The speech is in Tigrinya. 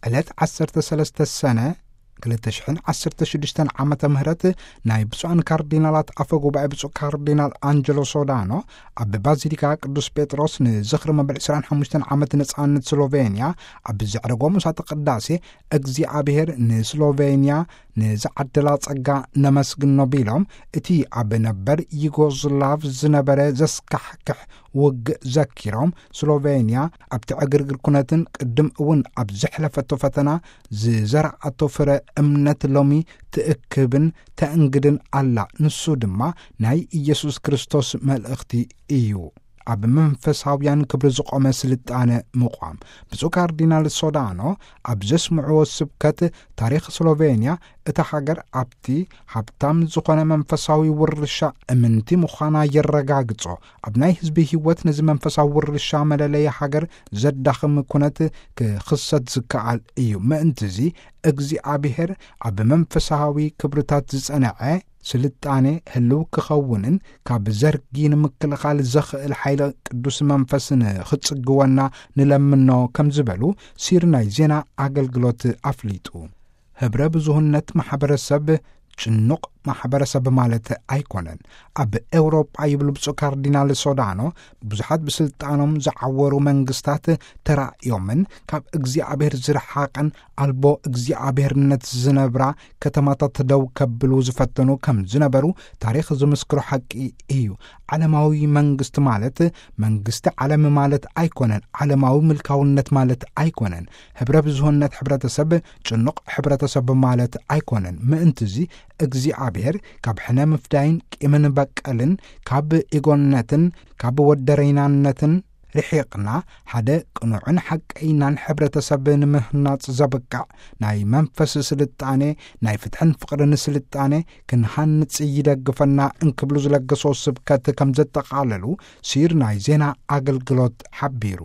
ዕለት ዓሰርተ ሰለስተ ሰነ ክልተ ሽሕን ዓሰርተ ሽዱሽተን ዓመተ ምህረት ናይ ብፁዓን ካርዲናላት ኣፈ ጉባኤ ብፁዕ ካርዲናል ኣንጀሎ ሶዳኖ ኣብ ባዚሊካ ቅዱስ ጴጥሮስ ንዝኽሪ መበል ዕስራን ሓሙሽተን ዓመት ነጻነት ስሎቬንያ ኣብ ዘዕረጎ ምሳተ ቅዳሴ፣ እግዚኣብሔር ንስሎቬንያ ንዝዓደላ ጸጋ ነመስግኖ ቢሎም፣ እቲ ኣብ ነበር ዩጎዝላቭ ዝነበረ ዘስካሕክሕ ውግእ ዘኪሮም፣ ስሎቬንያ ኣብቲ ዕግርግር ኩነትን ቅድም እውን ኣብ ዘሕለፈቶ ፈተና ዝዘርኣቶ ፍረ እምነት ሎሚ ትእክብን ተእንግድን ኣላ። ንሱ ድማ ናይ ኢየሱስ ክርስቶስ መልእኽቲ እዩ። ኣብ መንፈሳውያን ክብሪ ዝቖመ ስልጣነ ምቋም። ብፁዕ ካርዲናል ሶዳኖ ኣብ ዘስምዕዎ ስብከት፣ ታሪኽ ስሎቬንያ፣ እታ ሃገር ኣብቲ ሃብታም ዝኾነ መንፈሳዊ ውርሻ እምንቲ ምዃና የረጋግጾ። ኣብ ናይ ህዝቢ ህይወት ነዚ መንፈሳዊ ውርሻ መለለይ ሃገር ዘዳኽም ኩነት ክኽሰት ዝከኣል እዩ። ምእንትዚ እግዚኣብሔር ኣብ መንፈሳዊ ክብርታት ዝጸንዐ ስልጣኔ ህልው ክኸውንን ካብ ዘርጊ ንምክልኻል ዘኽእል ሓይለ ቅዱስ መንፈስ ንኽጽግወና ንለምኖ ከም ዝበሉ ሲር ናይ ዜና ኣገልግሎት ኣፍሊጡ። ህብረ ብዙህነት ማሕበረሰብ ጭኑቕ ማሕበረሰብ ማለት ኣይኮነን። ኣብ ኤውሮጳ ይብሉ ብፁዕ ካርዲናል ሶዳኖ፣ ብዙሓት ብስልጣኖም ዝዓወሩ መንግስታት ተራእዮምን ካብ እግዚኣብሔር ዝረሓቐን ኣልቦ እግዚኣብሔርነት ዝነብራ ከተማታት ደው ከብሉ ዝፈተኑ ከም ዝነበሩ ታሪኽ ዝምስክሮ ሓቂ እዩ። ዓለማዊ መንግስቲ ማለት መንግስቲ ዓለም ማለት ኣይኮነን። ዓለማዊ ምልካውነት ማለት ኣይኮነን። ህብረ ብዙህነት ሕብረተሰብ ጭኑቕ ሕብረተሰብ ማለት ኣይኮነን። ምእንትዚ እግዚኣብሔር ካብ ሕነ ምፍዳይን ቂምን በቀልን ካብ ኢጎነትን ካብ ወደረይናነትን ርሒቕና ሓደ ቅኑዕን ሓቀይናን ሕብረተሰብ ንምህናጽ ዘብቅዕ ናይ መንፈስ ስልጣኔ፣ ናይ ፍትሕን ፍቕርን ስልጣኔ ክንሃንጽ ይደግፈና እንክብሉ ዝለገሶ ስብከት ከም ዘጠቓለሉ ሲር ናይ ዜና ኣገልግሎት ሓቢሩ።